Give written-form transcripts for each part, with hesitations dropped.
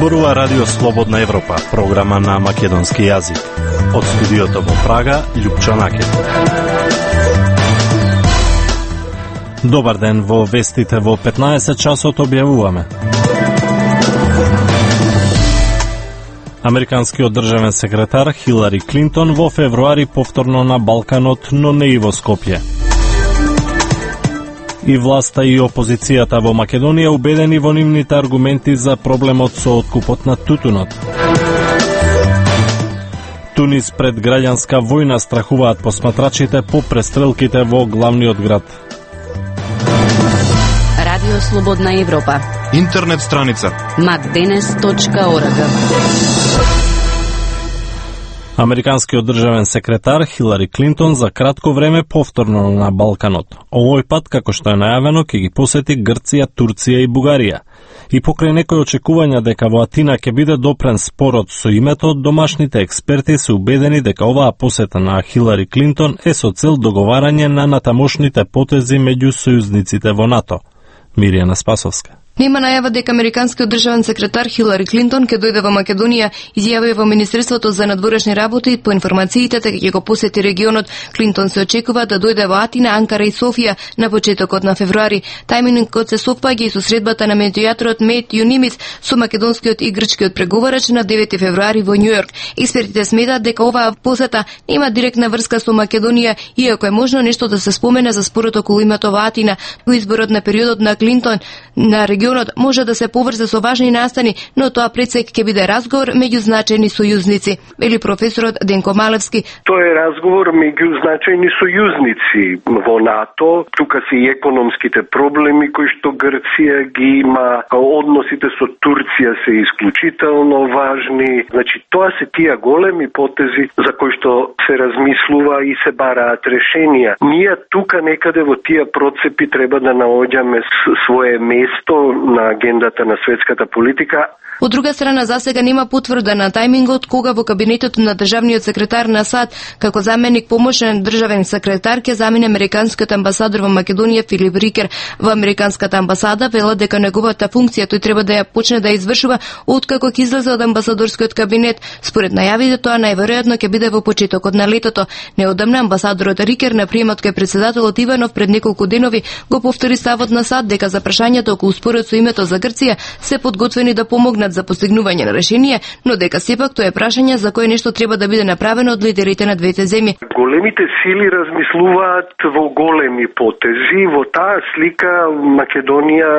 Зборува Радио Слободна Европа, програма на македонски јазик. Од студиото во Прага, Љупчо Накет. Добар ден, во вестите во 15 часот објавуваме. Американскиот државен секретар Хилари Клинтон во февруари повторно на Балканот, но не и во Скопје. И власта и опозицијата во Македонија убедени во нивните аргументи за проблемот со откупот на тутунот. Тунис пред граѓанска војна, страхуваат посматрачите по престрелките во главниот град. Радио Слободна Европа. Интернет страница macdenes.org. Американскиот државен секретар Хилари Клинтон за кратко време повторно на Балканот. Овој пат, како што е најавено, ќе ги посети Грција, Турција и Бугарија. И покрај некои очекувања дека во Атина ќе биде допрен спорот со името, домашните експерти се убедени дека оваа посета на Хилари Клинтон е со цел договарање на натамошните потези меѓу сојузниците во НАТО. Миријана Спасовска. Нема најава дека американскиот државен секретар Хилари Клинтон ќе дојде во Македонија, изјави во Министерството за надворешни работи. По информациите дека ќе го посети регионот, Клинтон се очекува да дојде во Атина, Анкара и Софија на почетокот на февруари. Тајмингот се совпаѓа и со средбата на медијаторот Мет Юнимис со македонскиот и грчкиот преговарач на 9 февруари во Њујорк. Експертите сметаат дека оваа посета нема директна врска со Македонија, иако е можно нешто да се спомене за спорот околу името во Атина. Во изборот на периодот на Клинтон на регионот може да се поврзе со важни настани, но тоа пресек ќе биде разговор меѓу значајни сојузници, вели професорот Денко Малевски. Тоа е разговор меѓу значајни сојузници во НАТО. Тука се и економските проблеми кои што Грција ги има, односите со Турција се исклучително важни. Значи, тоа се тие големи потези за кои што се размислува и се бараат решенија. Ние тука некаде во тие процепи треба да наоѓаме свое место на агендата на светската политика. Од друга страна, засега нема потврда на тајмингот кога во кабинетот на државниот секретар на САД како заменик помошен државен секретар ќе замине американскиот амбасадор во Македонија Филип Рикер. Во американската амбасада велат дека неговата функција тој треба да ја почне да извршува откако ќе излезе од амбасадорскиот кабинет. Според најавите, тоа најверојатно ќе биде во почетокот на летото. Неодамна амбасадорот Рикер на приемот кај претседателот Иванов пред неколку денови го повтори ставот на САД дека за прашањето околу спорот со името за Грција се подготвени да помогнат за постигнување на решение, но дека сепак тоа е прашање за кое нешто треба да биде направено од лидерите на двете земји. Големите сили размислуваат во големи потези. Во таа слика Македонија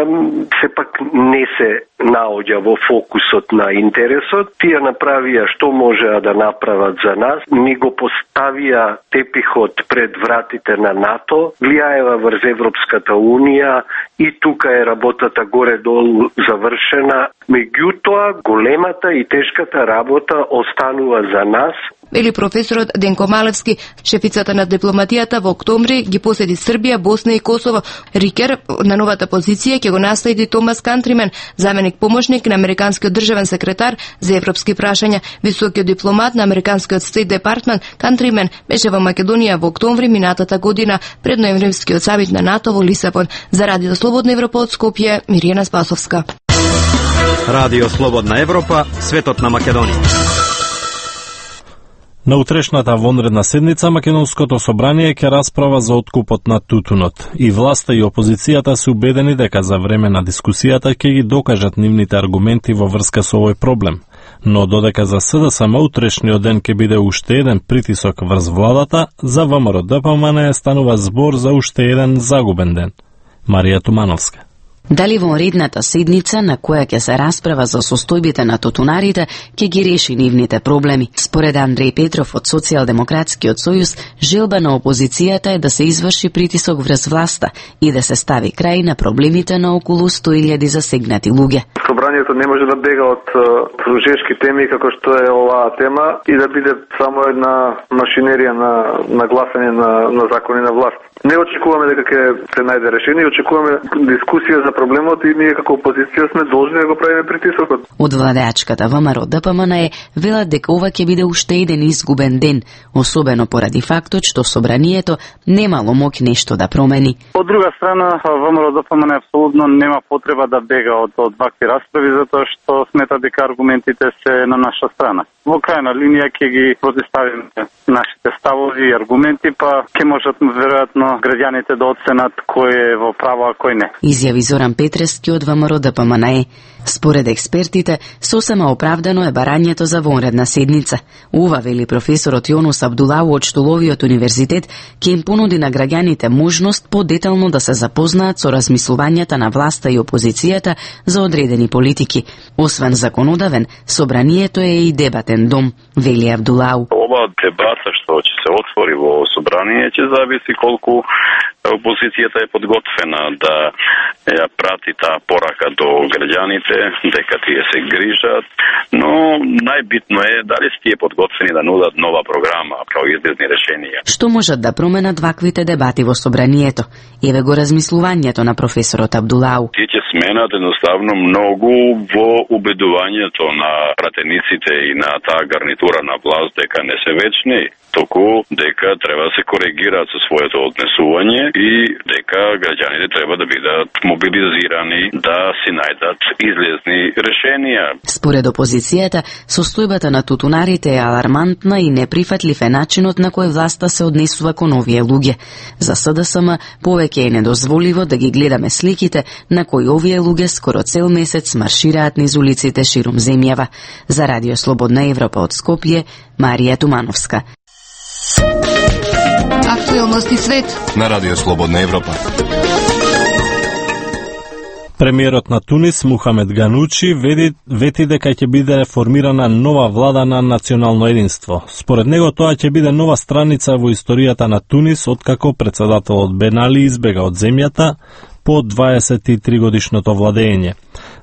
сепак не се наоѓа во фокусот на интересот. Тие направија што можеа да направат за нас. Ни го поставија тепихот пред вратите на НАТО, влијаева врз Европската Унија и тука е работата горе-долу завршена. Меѓутоа, големата и тешката работа останува за нас. Вели професорот Денко Малевски. Шефицата на дипломатијата во октомври ги посети Србија, Босна и Косово. Рикер на новата позиција ќе го наследи Томас Кантримен, заменик помошник на американскиот државен секретар за европски прашања. Високиот дипломат на американскиот Стейт Департмент Кантримен беше во Македонија во октомври минатата година пред ноемвривскиот самит на НАТО во Лисабон. За Радио Слободна Европа од Скопје, Миријана Спасовска. Радио Слободна Европа, светот на Македонија. На утрешната вонредна седница Македонското собрание ќе расправа за откупот на тутунот. И власта и опозицијата се убедени дека за време на дискусијата ќе ги докажат нивните аргументи во врска со овој проблем. Но додека за СДСМ утрешниот ден ќе биде уште еден притисок врз владата, за ВМРО-ДПМН станува збор за уште еден загубен ден. Марија Тумановска. Дали во редната седница на која ќе се расправа за состојбите на тутунарите ќе ги реши нивните проблеми? Според Андреј Петров од Социјалдемократскиот сојуз, желба на опозицијата е да се изврши притисок врз власта и да се стави крај на проблемите на околу 100.000 засегнати луѓе. Собранието не може да бега од жешки теми како што е оваа тема и да биде само една машинерија на гласање на закони на власт. Не очекуваме дека ќе се најде решение, очекуваме дискусија за на проблемот и ние како опозиција сме должни да го правиме притисокот. Од владеачката ВМРО ДПМН велат дека ова ќе биде уште еден изгубен ден, особено поради фактот што собранието немало моќ нешто да промени. Од друга страна, ВМРО ДПМН апсолутно нема потреба да бега од вакви расправи, затоа што смета дека аргументите се на наша страна. Во крајна линија ќе ги протиставиме нашите ставови и аргументи, па ќе можат веројатно граѓаните да оценат кој е во право, а кој не. Изјави Зоран Петрески од ВМРО ДПМН. Според експертите, сосема оправдано е барањето за вонредна седница. Ова, вели професорот Јонус Абдулау од Штоловиот универзитет, ќе им понуди на граѓаните можност подетално да се запознаат со размислувањата на власта и опозицијата за одредени политики. Освен законодавен, собранието е и дебатен дом, вели Абдулау. Ова дебата што ќе се отвори во собрание ќе зависи колку опозицијата е подготвена да ја прати таа порака до граѓаните, дека тие се грижат, но најбитно е дали тие подготвени да нудат нова програма, како излезни решенија. Што можат да променат ваквите дебати во собранието? Еве го размислувањето на професорот Абдулау. Тие ќе сменат едноставно многу во убедувањето на пратениците и на таа гарнитура на власт дека не се вечни, току дека треба да се коригираат со своето однесување и дека граѓаните треба да бидат мобилизирани да си најдат излезни решенија. Според опозицијата, состојбата на тутунарите е алармантна и неприфатлив е начинот на кој власта се однесува кон овие луѓе. За СДСМ повеќе е недозволиво да ги гледаме сликите на кои овие луѓе скоро цел месец маршираат низ улиците ширум земјава. За Радио Слободна Европа од Скопје, Марија Тумановска. Актуелности свет на Радио Слободна Европа. Премиерот на Тунис Мухамед Ганучи вети дека ќе биде формирана нова влада на национално единство. Според него тоа ќе биде нова страница во историјата на Тунис откако председателот Бен Али избега од земјата по 23 годишното владење.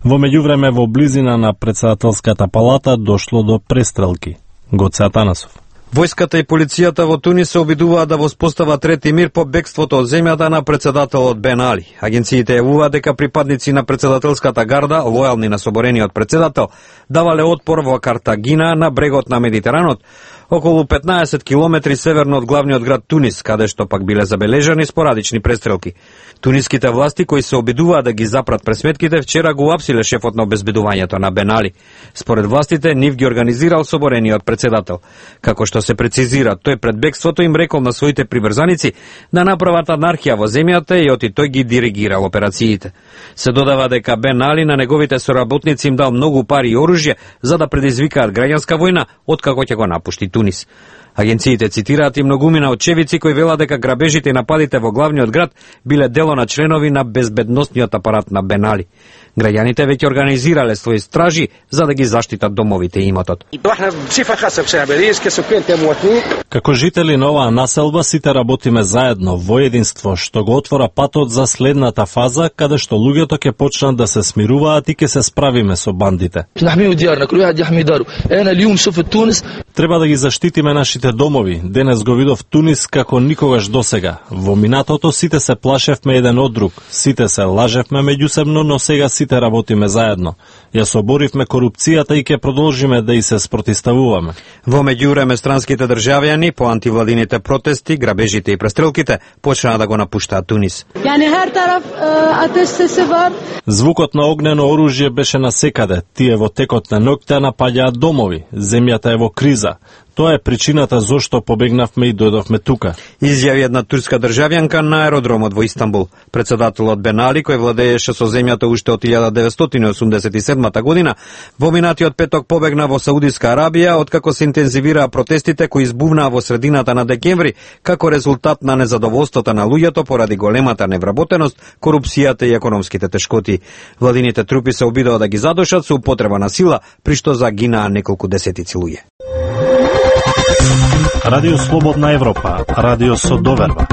Во меѓувреме во близина на председателската палата дошло до престрелки. Гоце Атанасов. Војската и полицијата во Тунис се обидуваат да воспостават ред и мир по бегството од земјата на председателот Бен Али. Агенциите јавуваат дека припадници на председателската гарда, лојални на соборениот председател, давале отпор во Картагина на брегот на Медитеранот, околу 15 километри северно од главниот град Тунис, каде што пак биле забележани спорадични престрелки. Туниските власти кои се обидуваат да ги запрат пресметките вчера го апсиле шефот на обезбедувањето на Бен Али. Според властите нив ги организирал соборениот председател. Како што се прецизира, тој пред бегството им рекол на своите приврзаници да направат анархија во земјата и оти тој ги диригирал операциите. Се додава дека Бен Али на неговите соработници им дал многу пари и оружје за да предизвикаат граѓанска војна откако ќе го напушти Тунис. Агенциите цитираат и многумина очевици кои велат дека грабежите и нападите во главниот град биле дело на членови на безбедносниот апарат на Бен Али. Граѓаните веќе организирале своји стражи за да ги заштитат домовите и имотот. Како жители на оваа населба сите работиме заедно во единство, што го отвора патот за следната фаза каде што луѓето ќе почнат да се смируваат и ќе се справиме со бандите. Треба да ги заштитиме нашите домови. Денес го видов Тунис како никогаш досега. Во минатото сите се плашевме еден од друг, сите се лажевме меѓусебно, но сега сите работиме заедно. Ја соборивме корупцијата и ќе продолжиме да и се спротиставуваме. Во меѓувреме странските државјани по антивладините протести, грабежите и престрелките почнаа да го напуштаат Тунис. Звукот на огнено оружје беше насекаде. Тие во текот на ноќта напаѓаат домови. Земјата е во криза. Тоа е причината зошто побегнавме и дојдовме тука. Изјави една турска државјанка на аеродромот во Истанбул. Председателот Бен Али, кој владееше со земјата уште од 1987 година, во минатиот петок побегна во Саудиска Арабија, откако се интензивираа протестите кои избувнаа во средината на декември, како резултат на незадоволството на луѓето поради големата невработеност, корупцијата и економските тешкоти. Владините трупи се обидоа да ги задушат со употреба на сила, при што загинаа неколку десетици луѓе. Радио Слободна Европа, радио со доверба.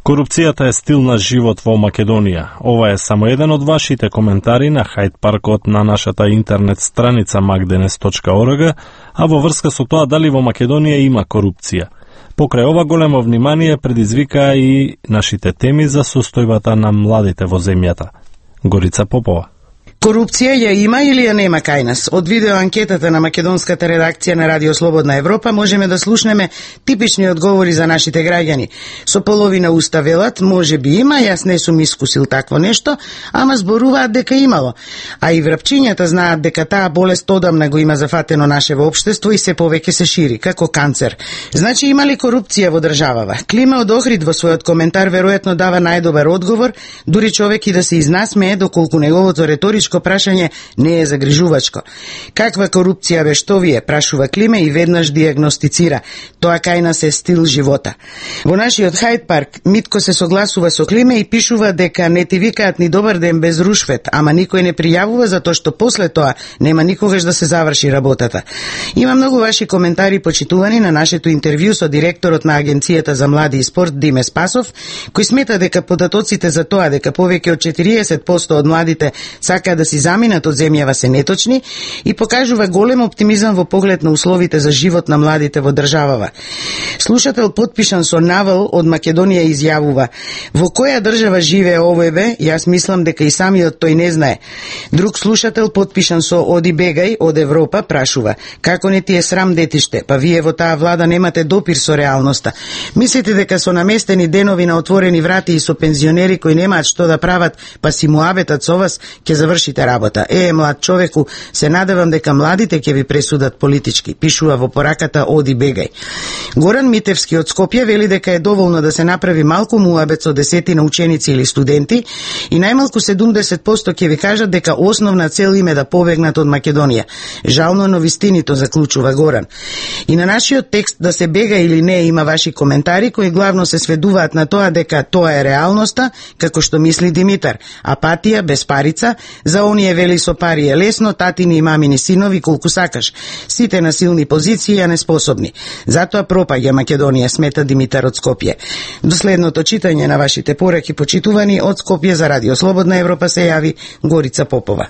Корупцијата е стил на живот во Македонија. Ова е само еден од вашите коментари на Хајд Паркот на нашата интернет страница magdenes.org, а во врска со тоа дали во Македонија има корупција. Покрај ова големо внимание предизвика и нашите теми за состојбата на младите во земјата. Горица Попова. Корупција ја има или ја нема кај нас? Од видеоанкетата на македонската редакција на Радио Слободна Европа можеме да слушнеме типични одговори за нашите граѓани. Со половина уста велат, може би има, јас не сум искусил такво нешто, ама зборуваат дека имало. А и врапчињата знаат дека таа болест одамна го има зафатено нашево општество и се повеќе се шири, како канцер. Значи има ли корупција во државава? Клима од Охрид во својот коментар веројатно дава најдобар одговор, дури човек и да се изнасмее доколку неговото реторичко прашање не е загрижувачко. Каква корупција бе што вие, прашува Климе и веднаш диагностицира. Тоа кај нас е стил живота. Во нашиот Хајд парк Митко се согласува со Климе и пишува дека не ти викаат ни добар ден без рушвет, ама никој не пријавува затоа што после тоа нема никогаш да се заврши работата. Има многу ваши коментари почитувани на нашето интервју со директорот на Агенцијата за млади и спорт Диме Спасов, кој смета дека податоците за тоа дека повеќе од 40% од младите сакаат да си заминат од земјава се неточни и покажува голем оптимизам во поглед на условите за живот на младите во државава. Слушател подпишан со Навал од Македонија изјавува: во која држава живее овој бе? Јас мислам дека и самиот тој не знае. Друг слушател подпишан со Оди Бегај од Европа прашува: како не ти е срам детиште? Па вие во таа влада немате допир со реалноста. Мислите дека со наместени денови на отворени врати и со пензионери кои немаат што да прават, па си муабетат со вас, ќе завршите работа? Млад човеку, се надевам дека младите ќе ви пресудат политички, пишува во пораката Оди Бегај. Горан Митевски од Скопје вели дека е доволно да се направи малку муабет со десетина ученици или студенти и најмалку 70% ќе ви кажат дека основна цел им е да побегнат од Македонија. Жално, но вистинито, заклучува Горан. И на нашиот текст да се бега или не има ваши коментари кои главно се сведуваат на тоа дека тоа е реалноста, како што мисли Димитар. Апатија, без парица, за оние вели со пари е лесно, татини и мамини синови колку сакаш. Сите на силни позиции, а неспособни. Затоа пропаѓа Македонија, смета Димитар од Скопје. До следното читање на вашите пораки почитувани од Скопје за Радио Слободна Европа се јави Горица Попова.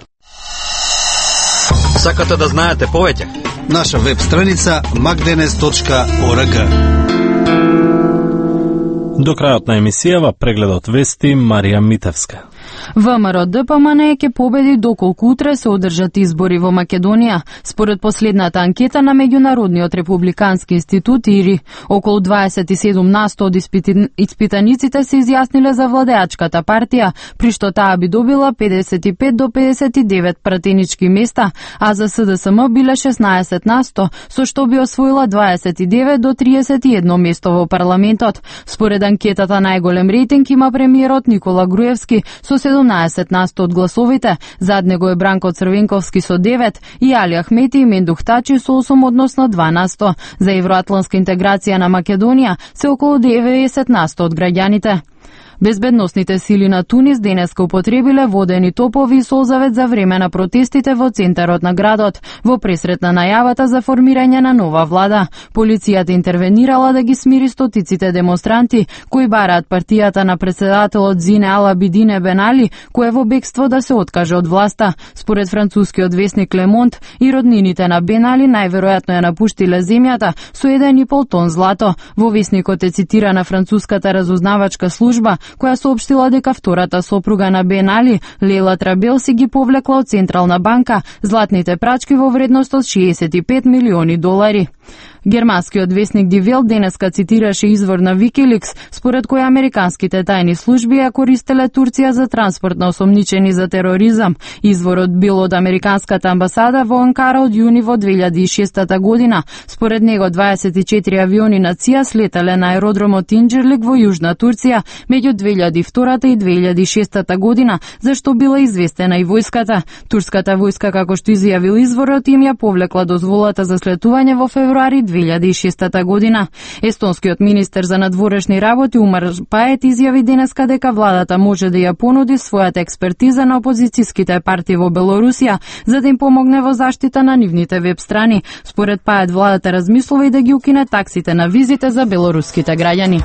Сакате да знаете повеќе? Наша веб страница magdenes.org. До крајот на емисијава прегледот вести Марија Митевска. ВМРО ДПМН ќе победи доколку утре се одржат избори во Македонија. Според последната анкета на Меѓународниот републикански институт ИРИ, околу 27% од испитаниците се изјасниле за владеачката партија, при што таа би добила 55 до 59 пратенички места, а за СДСМ биле 16%, со што би освоила 29 до 31 место во парламентот. Според анкетата најголем рейтинг има премиерот Никола Груевски со 17% од гласовите, зад него е Бранко Црвенковски со 9 и Али Ахмети и Мендух Тачи со 8 односно 12%. За евроатланска интеграција на Македонија се околу 90% од граѓаните. Безбедносните сили на Тунис денеска употребиле водени топови и солзавет за време на протестите во центарот на градот, во пресрет на најавата за формирање на нова влада. Полицијата интервенирала да ги смири стотиците демонстранти, кои бараат партијата на председателот Зине Алабидине Бен Али, кој е во бегство да се откаже од власта. Според францускиот весник Ле Монт, и роднините на Бен Али најверојатно ја напуштиле земјата со 1,5 тон злато. Во весникот е цитирана француската разузнавачка служба, која соопштила дека втората сопруга на Бен Али, Лейла Трабел, си ги повлекла од Централна банка златните прачки во вредност од 65 милиони долари. Германскиот весник Die Welt денеска цитираше извор на Wikileaks, според кој американските тајни служби ја користеле Турција за транспорт на осомничени за тероризам. Изворот бил од американската амбасада во Анкара од јуни во 2006 година. Според него 24 авиони на ЦИА слетале на аеродромот Инџерлик во Јужна Турција меѓу 2002 и 2006 година, зашто била известена и војската. Турската војска, како што изјавил изворот, им ја повлекла дозволата за слетување во февруари 2006 година. Естонскиот министер за надворешни работи Умар Пает изјави денеска дека владата може да ја понуди својата експертиза на опозицијските партии во Белорусија за да им помогне во заштита на нивните веб страни. Според Пает, владата размислува и да ги укине таксите на визите за белоруските граѓани.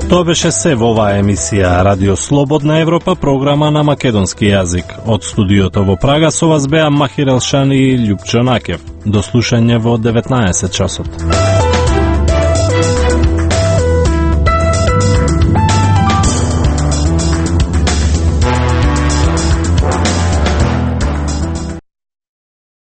Тоа беше се во оваа емисија Радио Слободна Европа, програма на македонски јазик. Од студиото во Прага со вас беа Махир Елшани и Љупчо Накев. До слушање во 19 часот.